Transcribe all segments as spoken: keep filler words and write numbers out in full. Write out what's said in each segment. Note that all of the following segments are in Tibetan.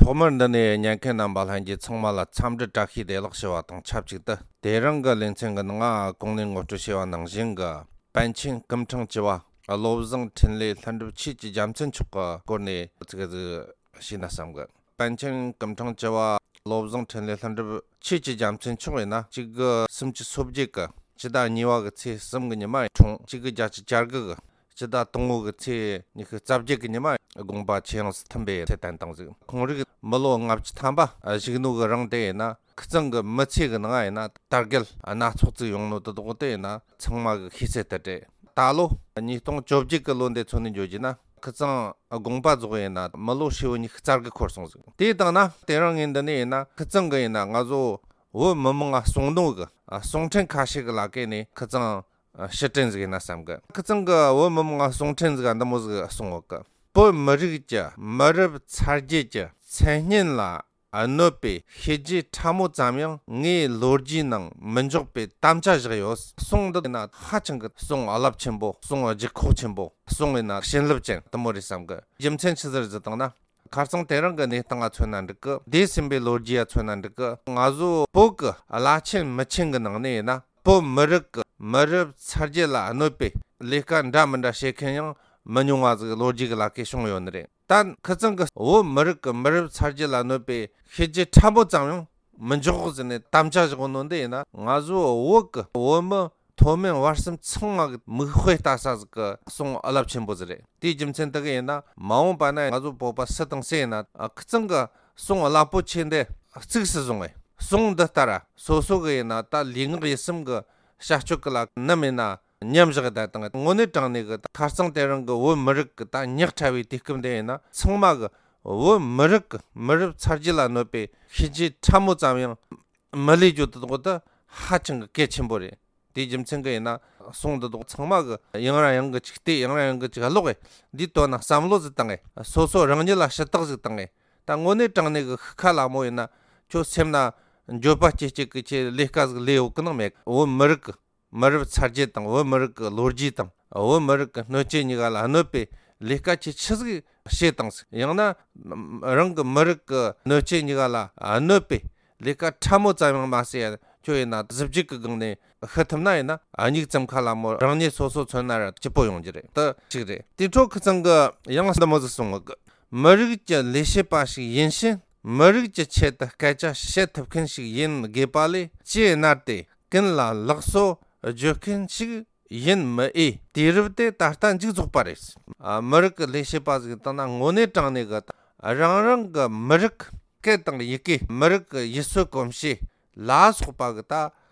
ཐོག་མར་འདི་ནས་ཉན་མཁན་རྣམ་པ་ལྷན་རྒྱས་ཚང་མ་ལ་འཚམས་འདྲི་བཀྲ་ཤིས་བདེ་ལེགས་ཞུ་བ་དང་ཆབས་ཅིག་ཏུ། དེ་རིང་གི་ལེ་ཚན་གྱི་ནང་ང་གོང་ནས་ངོ་སྤྲོད་བྱས་པ་ནང་བཞིན་གྱི་པཎ་ཆེན་སྐུ་ཕྲེང་བཅུ་པ་བློ་བཟང་འཕྲིན་ལས་ལྷུན་གྲུབ་ཆོས་ཀྱི་རྒྱལ་མཚན་མཆོག་གི་སྐོར་ནས་ཅིག་ཅིག་ཞུས་ན་བསམ་གི། པཎ་ཆེན་སྐུ་ཕྲེང་བཅུ་པ་བློ་བཟང་འཕྲིན་ལས་ལྷུན་གྲུབ་ཆོས་ཀྱི་རྒྱལ་མཚན་མཆོག་ཡིན་ན་གཅིག་དགུ་སུམ་ཅུ་སོ་བརྒྱད་ཀྱི་སྤྱི་ཟླ་གཉིས་པ་གི་ཚེས་གསུམ་གི་ཉི་མ་འཁྲུངས། གཅིག་དགུ་བརྒྱད་ཅུ་གྱ་དགུ་གི་སྤྱི་ཟླ་དང་པོ་གི་ཚེས་ཉི་ཤུ་རྩ་བརྒྱད་ཀྱི་ཉི་མ་དགོངས་པ་ཁྱེད་ཡོངས་སུ་མཐུན་པའི་ཚེ་བསྟན་བཏང་ཟིག། ཁོང་རིགས་མི་ལོ་ལྔ་བཅུ་ཐམ་པ་བཞུགས་ནོ་གི་རིང་དེ་ཡིན་ན་ཁི་ཚང་གི་མི་ཚེ་གི་ནང་ཡིན་ན་དར་རྒུད་སྣ་ཚོགས་ཅིག་ཡོང་ནོ་དེ་དག་དེ་ཡིན་ན་ཚང་མ་གི་ཤེས་གསལ་དེ་རེད། ད་ལོ་ཉིས་སྟོང་བཅོ་བརྒྱད་ཀྱི་ལོ་འདི་ཚོ་ནས་འཇོག་རྒྱུ་ན་ཁི་ཚང་དགོངས་པ་རྫོགས་ཡིན་ན་མི་ལོ་ཧྲིལ་བོ་ཉི་ཤུ་རྩ་དགུ་འཁོར་སོང་ཟིག། དེ་དང་ན་དེ་རིང་ངས་འདི་ནས་ཡིན་ན་ཁི་ཚང་གི་ཡིན་ན་ང་ཚོ་བོད་མི་མང་ང་གསུང་ནོ་གི་གསུང་འཕྲིན་ཁ་ཤས་གི་ལ་ཀའི་ནས་ཁི་ཚང་ཕྱིར་དྲན་ཟིག་ཡིན་ན་བསམ་གི། ཁི་ཚང་གི་བོད་མི་མང་ང་གསུང་འཕྲིན་ཟིག་འདི་མོ་ཟིག་གསུང་ཡོད་གི། བོད་མི་རིགས་ཀྱི་མི་རབས་ཚ་རྒྱུད་ཀྱི་མཚན་སྙན་ལ་གནོད་པའི་བཤད་རྒྱུ་ཕྲ་མོ་ཙམ་ཡང་ངའི་ལོ་རྒྱུས་ནང་མི་འཇོག་པའི་དམ་བཅའ་བཞག་ཡོད། གསུང་འདི་ཡིན་ན་ཧ་ཅང་གི་གསུང་རླབས་ཆེན་པོ། གསུང་ལྗིད་ཁོག་ཆེན་པོ། གསུང་ཡིན་ན་བྱིན་རླབས་ཅན་དེ་མོ་རེད་བསམ་གི། རྒྱུ་མཚན་ཆི་ཟིག་རེད་ཟེར་བཏང་ན། ཁ་རྩང་དེ་རིང་གི་གནས་སྟངས་ལ་མཚོན་ན་འགྲིག་གི། འདས་ཟིན་པའི་ལོ་རྒྱུས་ལ་མཚོན་ན་འགྲིག་གི། ང་ཚོ་བོད་ཀྱི་བླ་ཆེན་མི་ཆེན་གྱི་ནང་ནས་ཡིན་ན་བོད་མི་རིགས་ཀྱི་མི་རབས་ཚ་རྒྱུད་ལ་གནོད་པའི་ལས་ཀ་འདྲ་མི་འདྲ་བྱེད་མཁན་ཡང་མི་ཉུང་བ་ཟིག་ལོ་རྒྱུས་ཀྱི་ལ་ཁའི་བྱུང་ཡོད་ནི་རེད། ད་ཁི་ཚང་གི་བོད་མི་རིགས་ཀྱི་མི་རབས་ཚ་རྒྱུད་ལ་གནོད་པའི་བཤད་རྒྱུ་ཕྲ་མོ་ཙམ་ཡང་མི་འཇོག་ཟེར་ནས་དམ་བཅའ་བཞག་ནོ་འདི་ཡིན་ན། ང་ཚོ་བོད་ཀྱི་བོད་མི་མཐོ་དམན་བར་གསུམ་ཚང་མ་གི་མིག་དཔེ་ལྟ་ས་ཟིག་གི་གསུང་རླབས་ཆེན་པོ་ཟིག་རེད། དེའི་རྒྱུ་མཚན་དེ་གི་ཡིན་ན་མ་འོངས་པ་ན་ང་ཚོ་བོད་པ་སུ་དང་སུ་ཡིན་ན་ཨ་ཁི་ཚང་གི་གསུང་རླབས་པོ་ཆེ་འདི་གཙིགས་སུ་བཟུང་བས། གསུང་འདི་ལྟར་སོ་སོ་གི་ཡིན་ན་ད་ལུས་ངག་ཡིད་གསུམ་གི་བྱ་སྤྱོད་ཀྱི་ལ་ནམ་ཡིན་ན་མཉམ་བཞག་བསྡད་དང་། དངོས་གནས་དྲང་གནས་གི་ཁ་རྩང་དེ་རིང་གི་བོད་མི་རིགས་ཀྱི་ད་ཉག་ཕྲ་བའི་དུས་སྐབས་འདི་ཡིན་ན་ཚང་མ་གི་བོད་མི་རིགས་ཀྱི་མི་རབས་ཚ་རྒྱུད་ལ་གནོད་པའི་བཤད་རྒྱུ་ཕྲ་མོ་ཙམ་ཡང་མི་ལས་རྒྱུ་དེ་དག་དེ་ཧ་ཅང་གི་གལ་ཆེན་པོ་རེད། དེའི་རྒྱུ་མཚན་གི་ཡིན་ན་གསུང་འདི་དག་ཚང་མ་གི་ཡང་རང་ཡང་གི་ཅིག་བལྟས། ཡང་རང་ཡང་གི་ཅིག་ཀློག་གི། འདིའི་དོན་ན་བསམ་བློ་ཟིག་བཏང་གི། སོ་སོ་རང་ཉིད་ལ་ཞུ་དག་ཟིག་བཏང་གི། ད་དངོས་གནས་དྲང་གནས་གི་ཤི་ཁ་ལ་མོ་ཡིན་ན་ཁྱོད་སེམས་ན་འགྱོད་པ་སྐྱེ་སྐྱེ་གི་ཁྱེད་ལས་ཀ་ཟིག་ལས་ཡོད་གི་ནང་མེད། བོད་མི་རིགས་གི་མི་རབས་ཚ་རྒྱུད་དང་བོད་མི་རིགས་ཀྱི་ལོ་རྒྱུས་དང་བོད་མི་རིགས་ཀྱི་སྣོད་བཅུད་གཉིས་ཀ་ལ་གནོད་པའི་ལས་ཀ་ཆེ་ཆི་ཟིག་བྱེད་དང་ཟིག། ཡང་ན་རང་གི་མི་རིགས་ཀྱི་སྣོད་བཅུད་གཉིས་ཀ་ལ་གནོད་པའི་ལས་ཀ་ཕྲ་མོ་ཙམ་ཡང་མ་ཟེར་ཡ་ཁྱོད་ཡིན་ན་གཟི་བརྗིད་ཀྱི་སྒང་ནས་ཤི་ཐུབ་ན་ཡིན་ན་ཨ་མྱིག་ཙམ་ཁ་ལ་མོ་རང་ཉིད་སོ་སོ་མཚོན་ན་ར་སྐྱིད་པོ་ཡོང་རྒྱུ་རེད། དེ་གཅིག་རེད། དེ་འཕྲོ་ཁི་ཚང་གི་ཡང་འདི་མོ་ཟིག་གསུང་གི། མི་རིགས་ཀྱི་ལས་བྱེད་པ་ཞིག་ཡིན་ཕྱིན་མི་རིགས་ཀྱི་ཆེད་དུ་སྐད་ཆ་བཤད་ཐུབ་མཁན་ཞིག་ཡིན་དགོས་པ་ལས་ལྕེ་མནར་ཏེ་ཀུན་ལ་ལགས་སོ་བརྗོད་མཁན་ཞིག་ཡིན་མི་འོས། དུས་རབས་དེ་ད་ལྟ་མཇུག་རྫོགས་པ་རེད། ཨ། མི་རིགས་ཀྱི་ལས་བྱེད་པ་ཟིག་བཏང་ན་དངོས་གནས་དྲང་གནས་གི་རང་རང་གི་མི་རིགས་སྐད་དང་ཡི་གེ། མི་རིགས་ཀྱི་ཡུལ་སྲོལ་གོམས་གཤིས་ལ་སོགས་པ་གི་ད་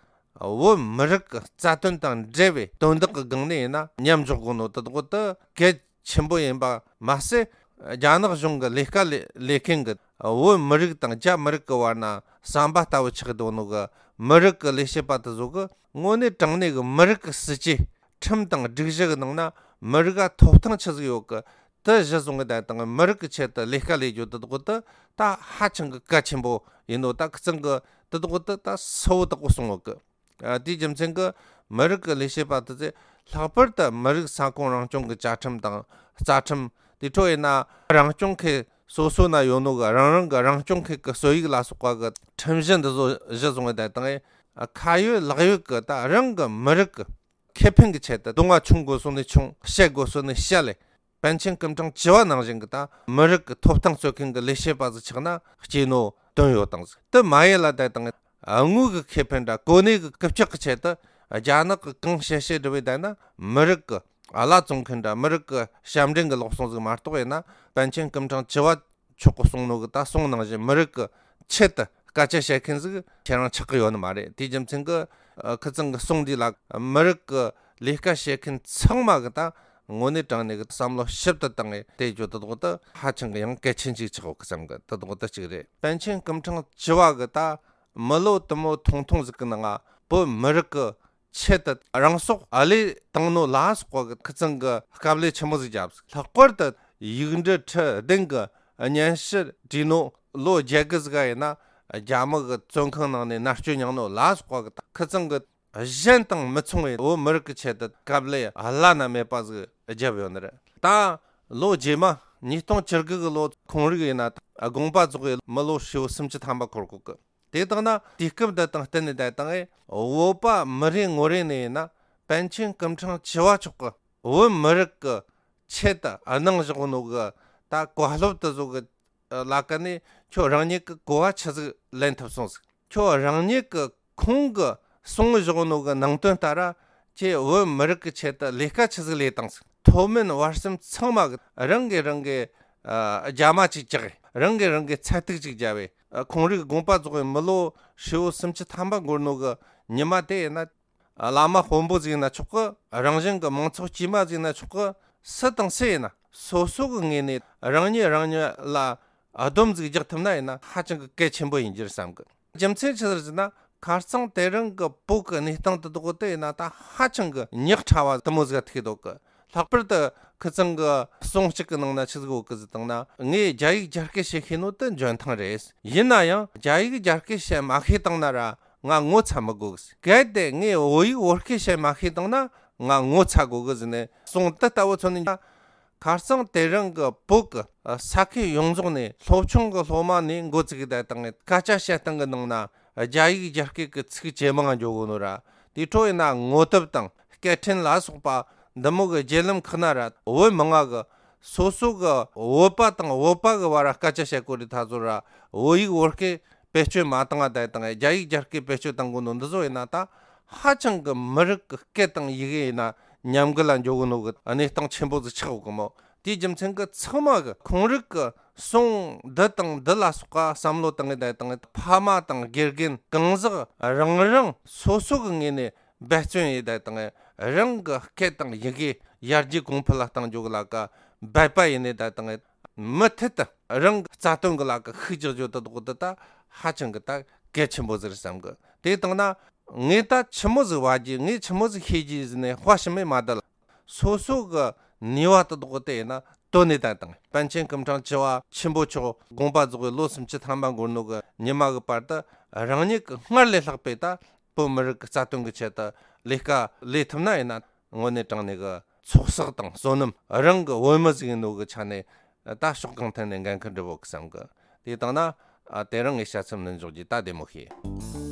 བོད་མི་རིགས་ཀྱི་རྩ་དོན་དང་འབྲེལ་བའི་དོན་དག་གི་སྒང་ནས་ཡིན་ན་མཉམ་འཇོག་དགོས་ནོ་དེ་དག་དེ་གལ་ཆེན་པོ་ཡིན་པ་མ་ཟད། རྒྱ་ནག་གཞུང་གི་ལས་ཀ་ལས་ལས་མཁན་གྱི་བོད་མི་རིགས་དང་རྒྱ་མི་རིགས་ཀྱི་བར་ན་ཟམ་པ་ལྟ་བུ་ཆགས་འདུག་ནོ་གི་མི་རིགས་ཀྱི་ལས་བྱེད་པ་དེ་ཚོ་གི་དངོས་གནས་དྲང་གནས་ཀྱི་མི་རིགས་ཀྱི་སྲིད་ཇུས་ཁྲིམས་དང་སྒྲིག་གཞི་གི་ནང་ན་མི་རིགས་ལ་ཐོབ་ཐང་ཆི་ཟིག་ཡོད་གི། དེ་གཞི་བཟུང་གི་བསྡད་དང་མི་རིགས་ཀྱི་ཆེད་དུ་ལས་ཀ་ལས་རྒྱུ་དེ་དག་དེ་ད་ཧ་ཅང་གི་གལ་ཆེན་པོ་ཡིན་ནོ། ད་ཁི་ཚང་གི་དེ་དག་དེ་ད་གསལ་བོ་དག་པོ་གསུང་ཡོད་གི། ཨ། དེའི་རྒྱུ་མཚན་གྱིས་མི་རིགས་ཀྱི་ལས་བྱེད་པ་དེ་ཚོས་ལྷག་པར་དུ་མི་རིགས་ས་ཁོངས་རང་སྐྱོང་གི་བཅའ་ཁྲིམས་དང་རྩ་ཁྲིམས། དེ་འཕྲོ་ཡིན་ན་རང་སྐྱོང་ཁུལ་སོ་སོ་ན་ཡོད་ནོ་གི་རང་རང་གི་རང་སྐྱོང་ཁུལ་གྱི་སྲོལ་ཡིག་ལ་སོགས་པ་གི་ཁྲིམས་གཞི་འདི་ཚོ་གཞི་བཟུང་བའི་བསྡད་དང་། ཨ། ཁ་ཡོད་ལག་ཡོད་གི་ད་རང་གི་མི་རིགས་ཀྱི་ཁེ་ཕན་གྱི་ཆེད་དུ་གདོང་ང་ཆུང་དགོས་སོ་ནས་ཆུང་། བཤད་དགོས་སོ་ནས་བཤད་ལས། པཎ་ཆེན་སྐུ་ཕྲེང་བཅུ་པ་ནང་བཞིན་གྱི་ད་མི་རིགས་ཀྱི་ཐོབ་ཐང་རྩོད་མཁན་གྱི་ལས་བྱེད་པ་ཟིག་ཆགས་ན་སྐྱེས་ནོ་དོན་ཡོད་དང་ཟིག། དེ་མ་ཡིན་ལ་བསྡད་དང་། དངོས་ཀྱི་ཁེ་ཕན་འདྲ་གོ་གནས་ཀྱི་རྐུབ་ཀྱག་གི་ཆེད་དུ་རྒྱ་ནག་གི་གང་བཤད་བཤད་འདྲ་བའི་བསྡད་ན་མི་རིགས་ཀྱི་བླ་བཙོང་མཁན་འདྲ་མི་རིགས་ཀྱི་ཞབས་འདྲེན་གྱི་ལོག་སོང་ཟིག་མ་གཏོགས་ཡིན་ན། པཎ་ཆེན་སྐུ་ཕྲེང་བཅུ་པ་མཆོག་གི་གསུང་ནོ་གི་ད་གསུང་ནང་བཞིན་མི་རིགས་ཀྱི་ཆེད་དུ་སྐད་ཆ་བཤད་མཁན་ཟིག་ཁྱེད་རང་ཆགས་ཀྱི་ཡོད་ནི་མ་རེད། དེའི་རྒྱུ་མཚན་གྱིས། ཨ། ཁི་ཚང་གི་གསུང་འདི་ལ་མི་རིགས་ཀྱི་ལས་ཀ་བྱེད་མཁན་ཚང་མ་གི་ད་དངོས་གནས་དྲང་གནས་ཀྱི་བསམ་བློ་ཞིབ་ཏུ་བཏང་ངས་དེ་རྒྱུ་དེ་དག་དེ་ཧ་ཅང་གི་ཡང་གལ་ཆེན་ཞིག་ཆགས་ཡོད་གི་བསམ་གི། དེ་དག་དེ་གཅིག་རེད། པཎ་ཆེན་སྐུ་ཕྲེང་བཅུ་པ་གི་ད་མི་ལོ་དུ་མོ་ཐུང་ཐུང་ཟིག་གི་ནང་ང་བོད་མི་རིགས་ཀྱི་ཆེད་དུ་རང་སྲོག་ཨ་ལས་བཏང་ནོ་ལ་སོགས་པ་གི་ཁི་ཚང་གི་དཀའ་ལས་ཆེན་མོ་ཟིག་བརྒྱབ། ལྷག་པར་དུ་ཡིག་འབྲུ་ཁྲི་བདུན་གི་སྙན་ཞུ་བྲིས་ནོ་ལོ་བརྒྱད་གི་ཟིག་ག་ཡིན་ན་རྒྱ་མི་གི་བཙོན་ཁང་ནང་ནས་མནར་གཅོད་མྱངས་ནོ་ལ་སོགས་པ་གི་ཁི་ཚང་གི་གཞན་དང་མི་མཚུངས་པའི་བོད་མི་རིགས་ཀྱི་ཆེད་དུ་དཀའ་ལས་བླ་ན་མེད་པ་ཟིག་བརྒྱབ་ཡོད་ནི་རེད། ད་ལོ་རྗེས་མ་ ཉིས་སྟོང་བཅུ་དགུ་གི་ལོ་ཁོང་རིགས་ཡིན་ན་དགོངས་པ་རྫོགས་པའི་མི་ལོ་ཧྲིལ་བོ་སུམ་ཅུ་ཐམ་པ་འཁོར་གོ་གི། དེ་དག་ན་དུས་སྐབས་འདི་དང་བསྟུན་ནས་བསྡད་དང་ཨེ། བོད་པ་མི་རེ་ངོ་རེ་ནས་ཡིན་ན་པཎ་ཆེན་སྐུ་ཕྲེང་བཅུ་བ་མཆོག་གི་བོད་མི་རིགས་ཀྱི་ཆེད་དུ་གནང་བཞག་ནོ་གི་ད་བཀའ་སློབ་དེ་ཚོ་གི་ལ་ཀ་ནས་ཁྱོད་རང་ཉིད་ཀྱི་གོ་བ་ཆི་ཟིག་ལེན་ཐུབ་སོང་ཟིག། ཁྱོད་རང་ཉིད་ཀྱི་ཁོང་གི་གསུང་བཞག་ནོ་གི་ནང་དོན་ལྟར་ཁྱེད་བོད་མི་རིགས་ཀྱི་ཆེད་དུ་ལས་ཀ་ཆི་ཟིག་ལས་བཏང་ཟིག། མཐོ་དམན་བར་གསུམ་ཚང་མ་གི་རང་གི་རང་གི་ཨ་རྒྱ་མ་ཅིག་བཅག་གི། རང་གི་རང་གི་ཚད་ཐིག་ཅིག་བརྒྱབ་བས། ཨ་ཁོང་རིགས་དགོངས་པ་རྫོགས་པའི་མི་ལོ་ཧྲིལ་བོ་སུམ་ཅུ་ཐམ་པ་འགོར་ནོ་གི་ཉི་མ་དེ་ཡིན་ན། ཨ་བླ་མ་དཔོན་པོ་ཟིག་ཡིན་ན་ཆོག་གི། རང་བཞིན་གི་མང་ཚོགས་དཀྱུས་མ་ཟིག་ཡིན་ན་ཆོག་གི། སུ་དང་སུ་ཡིན་ན་སོ་སོ་གི་ངོས་ནས་རང་ཉིད་རང་ཉིད་ལ་སྡོམ་ཟིག་རྒྱག་ཐུབ་ན་ཡིན་ན་ཧ་ཅང་གི་གལ་ཆེན་པོ་ཡིན་རྒྱུ་བསམ་གི། རྒྱུ་མཚན་ཆི་ཟིག་ཟེར་ན། ཁ་རྩང་དེ་རིང་གི་བོད་ཀྱི་གནས་སྟངས་དེ་དག་དེ་ཡིན་ན་ད་ཧ་ཅང་གི་ཉག་ཕྲ་བ་དེ་མོ་ཟིག་ཐུག་འདུག་གི། ལྷག་པར་དུ་ཁི་ཚང་གི་གསུང་གཅིག་གི་ནང་ན་ཆི་ཟིག་ཡོད་གི་ཟེར་བཏང་ན། ངས་རྒྱ་ཡིག་རྒྱ་སྐད་བཤད་ཤེས་ནོ་དེ་འཇོན་ཐང་རེད། ཡིན་ན་ཡང་རྒྱ་ཡིག་རྒྱ་སྐད་བཤད་མ་ཤེས་བཏང་ན་ར་ང་ངོ་ཚ་མི་དགོས་གི། གལ་ཏེ་ངས་བོད་ཡིག་བོད་སྐད་བཤད་མ་ཤེས་བཏང་ན་ང་ངོ་ཚ་དགོས་གི་ཟེར་ནས་གསུང་དེ་ལྟ་བུ་ཚོ་ནི། ཁ་རྩང་དེ་རིང་གི་བོད་ཀྱི་ས་ཁུལ་ཡོངས་རྫོགས་ནས་སློབ་ཆུང་གི་སློབ་མ་ནས་འགོ་བཙུགས་བསྡད་བཏང་ངས་སྐད་ཆ་བཤད་སྟངས་ཀྱི་ནང་ན་རྒྱ་ཡིག་རྒྱ་སྐད་ཀྱི་ཚིག་ཇེ་མང་འགྱོ་གོ་ནོ་ར། དེ་འཕྲོ་ཡིན་ན་ངོ་དེབ་དང་སྐད་འཕྲིན་ལ་སོགས་པ་འདི་མོ་གི་བརྒྱུད་ལམ་ཁག་ན་ར་བོད་མི་མང་གི་སོ་སོ་གི་བོད་པ་དང་བོད་པ་གི་བར་སྐད་ཆ་བཤད་གོ་རི་ཐ་ཚོ་ར་བོད་ཡིག་བོད་སྐད་བེད་སྤྱོད་མ་བཏང་བ་བསྡད་བཏང་ངས་རྒྱ་ཡིག་རྒྱ་སྐད་བེད་སྤྱོད་བཏང་གོ་ནོ་འདི་ཚོ་ཡིན་ན་ད་ཧ་ཅང་གི་མི་རིགས་ཀྱི་སྐད་དང་ཡི་གེ་ཡིན་ན་ཉམས་རྒུད་ལ་འགྱོ་གོ་ནོ་གི་གནས་སྟངས་ཆེན་པོ་ཟིག་ཆགས་ཡོད་གི་མོ། དེའི་རྒྱུ་མཚན་གྱིས་ཚང་མ་གི་ཁོང་རིགས་ཀྱི་གསུང་འདི་དང་འདི་ལ་སོགས་པ་བསམ་བློ་བཏང་ངེས་བསྡད་བཏང་ངེས་ཕ་མ་དང་དགེ་རྒན་གང་ཟག་རང་རང་སོ་སོ་གི་ངོས་ནས་འབད་བརྩོན་ཡེད་བསྡད་བཏང་ངེས་རང་གི་སྐད་དང་ཡི་གེ་ཡར་རྒྱས་གོང་འཕེལ་ལ་གཏང་འཇུག་ལ་ཀ་འབད་པ་ཡེད་ནས་བསྡད་བཏང་ངེས་མུ་མཐུད་དུ་རང་གི་རྩ་དོན་གི་ལ་ཀ་ཤུགས་རྒྱག་རྒྱུ་དེ་དག་དེ་ད་ཧ་ཅང་གི་ད་གལ་ཆེན་པོ་ཟིག་རེད་བསམ་གི། དེ་བཏང་ན། ངས་ད་ཆི་མོ་ཟིག་བ་རྒྱུ་ངས་ཆི་མོ་ཟིག་ཤེས་རྒྱུ་ཟེར་ནས་དཔའ་ཞུམ་མེད་མ་བསྡད་ལ། སོ་སོ་གི་ནུས་པ་དེ་དག་དེ་ཡིན་ན་བཏོན་ནས་བསྡད་བཏང་། པཎ་ཆེན་སྐུ་ཕྲེང་བཅུ་བ་ཆེན་པོ་མཆོག་དགོངས་པ་རྫོགས་པའི་ལོ་སུམ་ཅུ་ཐམ་པ་འགོར་ནོ་གི་ཉི་མ་གི་བར་དུ་རང་ཉིད་ཀྱི་སྔར་ལས་ལྷག་པའི་ད་བོད་མི་རིགས་ཀྱི་རྩ་དོན་གི་ཆེད་དུ་ལས་ཀ་ལས་ཐུབ་ན་ཡིན་ན་དངོས་གནས་དྲང་གནས་གི་ཚོགས་བསགས་དང་བསོད་ནམས། རང་གི་བོད་མི་ཟིག་ཡིན་ནོ་གི་ཆ་ནས་ད་ཕྱོགས་གང་ཐད་ནས་འགན་ཁུར་འགྲུབ་བོ་གི་བསམ་གི། དེ་བཏང་ན་ཨ་དེ་རིང་ངས་བཤད་ཚུལ་ནི་འཇོག་རྒྱུ་ད་བདེ་མོ་ཤེས།